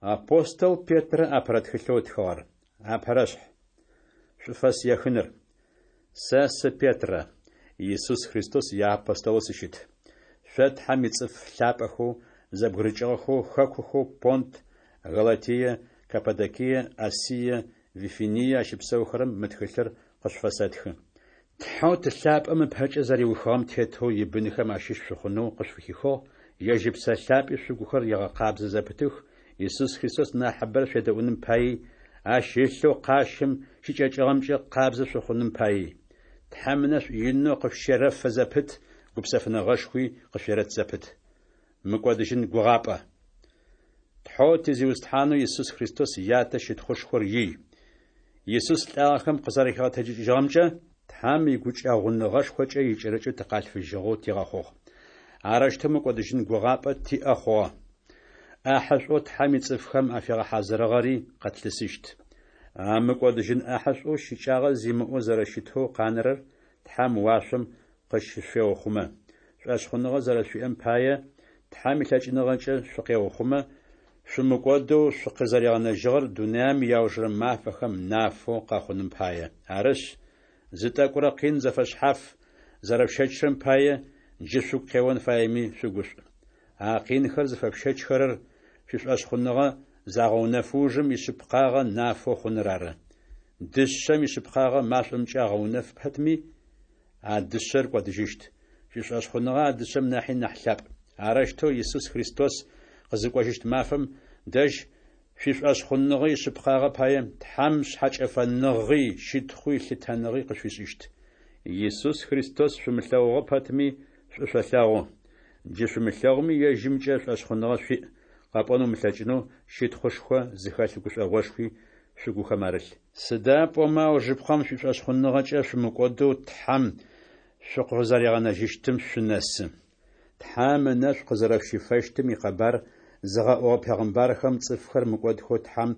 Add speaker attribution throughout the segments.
Speaker 1: Апостол Петрэ апэрэ тхылъэу ытхыгъэр. Апэрэшъхь. Шӏуфэс ехыныр. Сэ сы Петрэ, Исус Христос иапостолэу сыщыт. Шъо Тхьэм ицӏыф лъапӏэхэу, зэбгырыкӏыгъэхэу хэкухэу Понт, Галатие, Каппадокие, Асие, Вифиние ащыпсэухэрэм мы тхылъыр къышъуфэсэтхы. Тхьэу Ты лъапӏэм ыпэкӏэ зэриухыгъэм тетэу ибынхэм ащыщ шъухъунэу къышъуфыхихыгъ, ежь Ыпсэ Лъапӏи шъугухэр егъэкъабзэ зэпытых, Исус Христос нахьыбэрэ шъуедэӏуным паий, ащ ылъэу къащым щыкӏэкӏыгъэмкӏэ къабзэ шъухъуным паий. Тхьэм ынэшӏу инэу къышъущерэфэ зэпыт, гупсэфыныгъэшхуи къышъуерэт зэпыт. Мыкӏодыжьын гугъапӏэ. Тхьэу ти Зиусхьанэу Исус Христос Ятэ щытхъушхор ий. Исус лӏагъэхэм къызэрэхигъэтэджыкӏыжьыгъэмкӏэ, Тхьэм игукӏэгъуныгъэшхокӏэ икӏэрыкӏэу тыкъалъфыжьыгъэу тигъэхъугъ. Арэущтэу мыкӏодыжьын гугъапӏэ тиӏэ хъугъэ. ӏахьышӏоу Тхьэм ицӏыфхэм афигъэхьазырыгъэри къэтлъысыщт. А мыкӏодыжьын ӏахьышӏоу щыкӏагъэ зимыӏэу зэрэщытэу къанэрэр Тхьэм уашъом къыщышъуеухъумэ. Шӏошъхъуныгъэ зэрэшъуиӏэм пае, Тхьэм илъэкӏыныгъэкӏэ шъукъеухъумэ, шъумыкӏодэу шъукъызэригъэнэжьыгъэр дунаим иаужырэ мафэхэм нафэу къэхъуным пае. Арышъ, зы тӏэкӏурэ къин зэфэшъхьаф зэрэшъущэчырэм пае, джы шъугу къеон фаеми шъугушӏу. А къинхэр зыфэшъущэчхэрэр шъуишӏошъхъуныгъэ загъэунэфы ужым ишъыпкъагъэ нафэу хъуныр ары. Дышъэм ишъыпкъагъэ машӏомкӏэ агъэунэф пэтми, а дышъэр кӏодыжьыщт. Шъуишӏошъхъуныгъэ а дышъэм нахьи нахь лъапӏ. Арэущтэу Исус Христос къызыкӏожьыщт мафэм дэжь шъуишӏошъхъуныгъэ ишъыпкъагъэ пае Тхьэм шъхьэкӏэфэныгъи, щытхъуи, лъытэныгъи къышъуфишӏыщт. Исус Христос шъумылъэгъугъэ пэтми, шӏу шъолъэгъу. Джы шъумылъэгъуми ежьымкӏэ шӏошъхъуныгъэ шъуиӏ, къэпӏон умылъэкӏынэу щытхъушхо зыхэлъ гушӏогъошхуи шъугухэм арылъ. Сыда пӏомэ аужыпкъэм шъуишӏошъхъуныгъэкӏэ шъумыкӏодэу Тхьэм шъукъызэригъэнэжьыщтым шъунэсы. Тхьэм ынэшӏу къызэрэшъущифэщтым икъэбар зыгъэӏугъэ пегъымбархэм цӏыфхэр мыкӏодхэу Тхьэм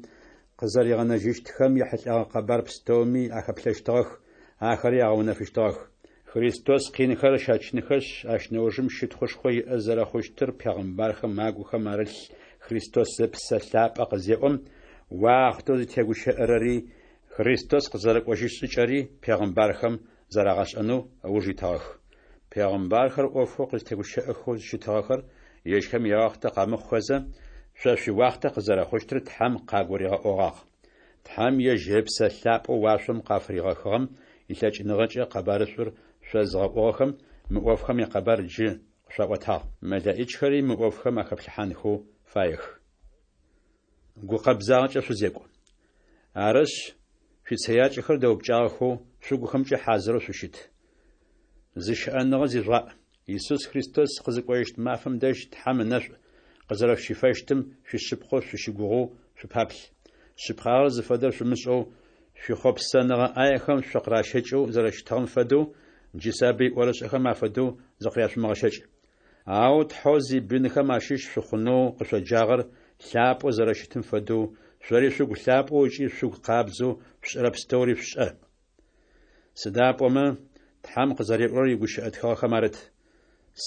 Speaker 1: къызэригъэнэжьыщтхэм ехьылӏэгъэ къэбар пстэуми ахэплъэщтыгъэх, ахэри агъэунэфыщтыгъэх. Христос къинхэр ыщэчынхэшъ, ащ нэужым щытхъушхо иӏэ зэрэхъущтыр пегъымбархэм агухэм арылъ Христос Ыпсэ Лъапӏэ къызеӏом, уахътэу зытегущыӏэрэри, Христос къызэрэкӏожьыщт шӏыкӏэри пегъымбархэм зэрагъэшӏэнэу ыуж итыгъэх. Пегъымбархэр ӏофэу къызтегущыӏэхэу щытыгъэхэр ежьхэм яуахътэ къэмыхъухэзэ, шъо шъуиуахътэ къызэрэхъущтыр Тхьэм къагуригъэӏогъагъ. Тхьэм ежь Ыпсэ Лъапӏэу уашъом къафыригъэхыгъэм илъэкӏыныгъэкӏэ къэбарышӏур шъозыгъэӏугъэхэм мы ӏофхэм якъэбар джы къышъуаӏотагъ. Мэлэӏичхэри мы ӏофхэм ахэплъыхьанхэу фаех. Гукъэбзагъэкӏэ шъузекӏу. Арышъ, шъуицэякӏэхэр дэупкӏагъэхэу, шъугухэмкӏэ хьазырэу шъущыт. Зыщыӏэныгъэ зижъугъаӏ. Исус Христос къызыкӏожьыщт мафэм дэжь Тхьэм ынэшӏу къызэрэшъущифэщтым шъуишъыпкъэу шъущыгугъэу шъупаплъ. Шъыпкъагъэр зыфэдэр шъумышӏэу, шъуихъопсэныгъэ ӏаехэм шъукъыращэкӏэу зэрэщытыгъэм фэдэу, джы сабый ӏорышӏэхэм афэдэу зыкъыряшъумыгъэщэкӏ. Ау Тхьэу зибынхэм ащыщ шъухъунэу къышъоджагъэр лъапӏэу зэрэщытым фэдэу, шъори шъугу лъапӏэу ыкӏи шъугу къабзэу шъушӏэрэ пстэури шъушӏэ. Сыда пӏомэ, Тхьэм къызэриӏорэр игущыӏэ тхыгъэхэм арыт: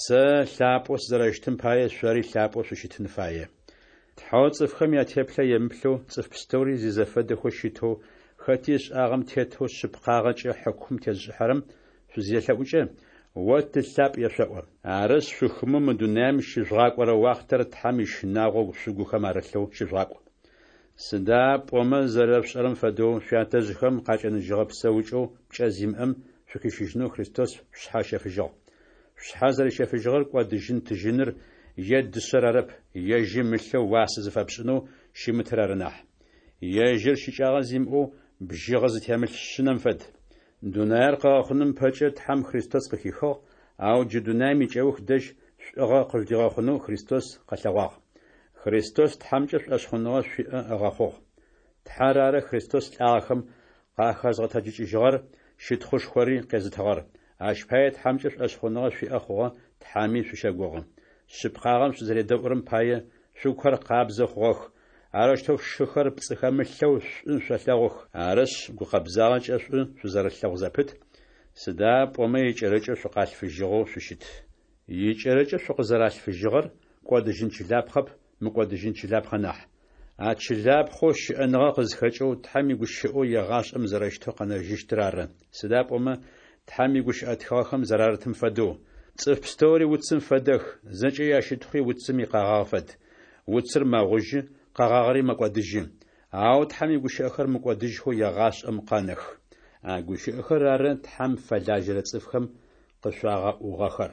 Speaker 1: Сэ лъапӏэу сызэрэщытым пае шъори лъапӏэу шъущытын фае. Тхьэу цӏыфхэм ятеплъэ емыплъэу, цӏыф пстэури зизэфэдэхэу щытэу, хэти ышӏагъэм тетэу шъыпкъагъэкӏэ хьыкум тезышӏыхьэрэм шъузелъэӏукӏэ, О Ты лъапӏ ешъоӏо. Арышъ, шъухымэу мы дунаим щыжъугъакӏорэ уахътэр Тхьэм ищынагъо шъугухэм арылъэу щыжъугъакӏу. Сыда пӏомэ зэрэшъушӏэрэм фэдэу, шъуятэжъхэм къакӏэныжьыгъэ псэукӏэу пкӏэ зимыӏэм шъухищыжьынэу Христос шъушъхьэ ыщэфыжьыгъ. Шъушъхьэ зэрищэфыжьыгъэр кӏодыжьын тыжьыныр е дышъэр арэп, ежьым ылъэу уасэ зыфэпшӏынэу щымытыр ары нахь. Ежьыр щыкӏагъэ зимыӏэу бжьыгъэ зытемылъ шъынэм фэд. Дунаер къыгъэхъуным ыпэкӏэ Тхьэм Христос къыхихыгъ, ау джы дунаим икӏэух дэжь шӏугъэ къыжъудигъэхъунэу Христос къэлъэгъуагъ. Христос Тхьэмкӏэ шӏошъхъуныгъэ шъуиӏэ ыгъэхъугъ. Тхьэр ары Христос лӏагъэхэм къахэзгъэтэджыкӏыжьыгъэр, щытхъушхори къезытыгъэр. Ащ пае Тхьэмкӏэ шӏошъхъуныгъэ шъуиӏэ хъугъэ, Тхьэми шъущэгугъы. Шъыпкъагъэм шъузэредэӏурэм пае, шъугухэр къабзэ хъугъэх, арэущтэу шъушыхэр пцӏы хэмылъэу шӏу шъолъэгъух. Арышъ, гукъэбзагъэкӏэ шӏу шъузэрэлъэгъу зэпыт, сыда пӏомэ икӏэрыкӏэу шъукъалъфыжьыгъэу шъущыт. Икӏэрыкӏэу шъукъызэралъфыжьыгъэр кӏодыжьын чылапхъэп, мыкӏодыжьын чылапхъэ нахь. А чылапхъэу щыӏэныгъэ къызхэкӏэу Тхьэм игущыӏэу егъашӏэм зэрэщытэу къэнэжьыщтыр ары. Сыда пӏомэ Тхьэм игущыӏэ тхыгъэхэм зэрарытым фэдэу, Цӏыф пстэури уцым фэдэх, зэкӏэ ящытхъуи уцым икъэгъагъ фэд. Уцыр мэгъужьы, къэгъагъэри мэкӏодыжьы. Ау Тхьэм игущыӏэхэр мыкӏодыжьхэу егъашӏэм къэнэх. А гущыӏэхэр ары Тхьэм фэлажьэрэ цӏыфхэм къышъуагъэӏугъэхэр.